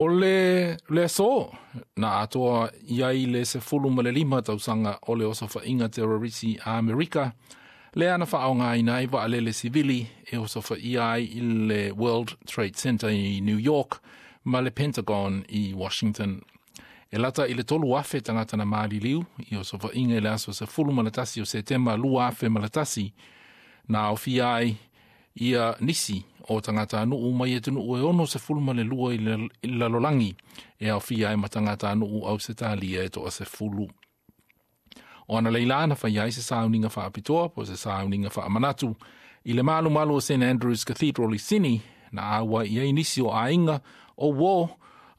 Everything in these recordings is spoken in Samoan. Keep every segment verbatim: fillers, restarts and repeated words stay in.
O le le aso, na atoa i ai le sefulu ma le lima tausaga o le osofaiga terorisi a Amerika, lea na faaaogaina ai vaalele sivili e osofaia ai i le World Trade Center i New York ma le Pentagon i Washington. E lata i le tolu afe tagata na maliliu i osofaiga i le aso sefulu ma le tasi o Setema lua afe ma le tasi, na aofia ai ia nisi o tagatanuu mai atunuu e ono sefulu ma le lua i le lalolagi e aofia ai ma tagatanuu Ausetalia e toasefulu. O analeila na fai ai se sauniga faapitoa po se sauniga faamanatu i le malumalu o Saint Andrew's Cathedral i Sini na auai i ai nisi o aiga o uō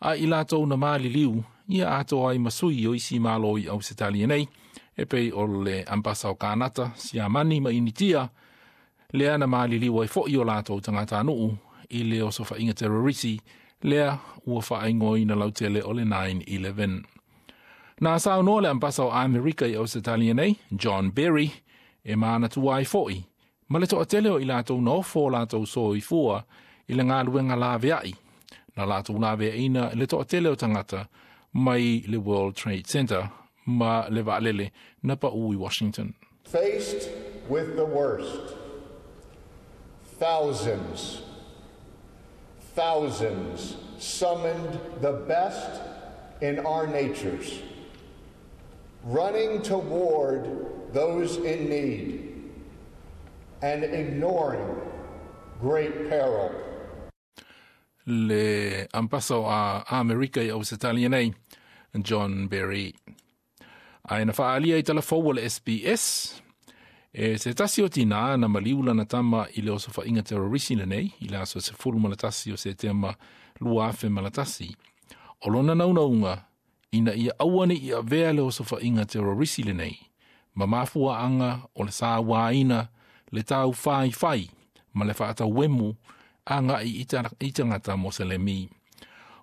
a i latou na maliliu ia atoa ai ma sui o isi malo i Ausetalia nei e pei o le ambasa o Kanata, Siamani ma Initia lea na maliliu ai fo'i o latou tagatanuu i le osofaiga terorisi lea ua faaigoaina lautele o le nine eleven. Na saunoa le ambasa o Amerika i Ausetalia nei, John Berry, e manatua ai fo'i, ma le toatele o i latou na ofo o latou soifua i le galuega laveai, na latou laveaina le toatele o tagata mai le World Trade Center ma le vaalele na pau i Washington. Faced with the worst, thousands, thousands summoned the best in our natures, running toward those in need and ignoring great peril. Le ambasa o Amerika i Ausetalia nei, John Berry. Ae na faaalia i talafou o le S B S, e se tasi o tina na maliu lana tama i le osofaiga terrorisi lenei, i le aso sefulu ma le tasi o Setema lua afe ma le tasi. O lona naunauga, ina ia aua ne i avea le osofaiga terrorisi lenei, ma mafuaaga o le sauaina le tau faifai ma le faatauemu agai i tagata Moselemi.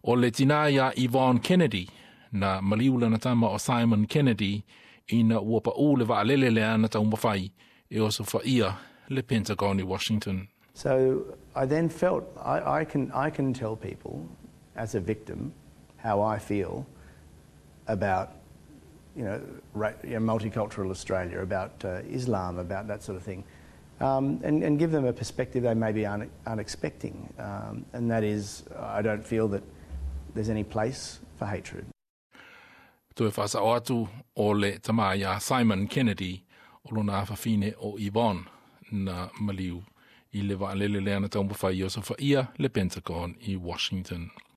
O le tina ia Yvonne Kennedy, na maliu lana tama o Simon Kennedy, ina ua pau le vaalele lea na taumafai e osofaia le Pentagon i Washington. So I then felt I, I, can, I can tell people as a victim how I feel about you know, ra-, you know, multicultural Australia, about, uh, Islam, about that sort of thing, um, and, and give them a perspective they maybe aren't, aren't expecting, um, and that is I don't feel that there's any place for hatred. Toe whaasao atu o le tama ia Simon Kennedy o lona afafine o Yvonne na maliu i le vaalele lea na taumafai i osofaia le Pentagon i Washington.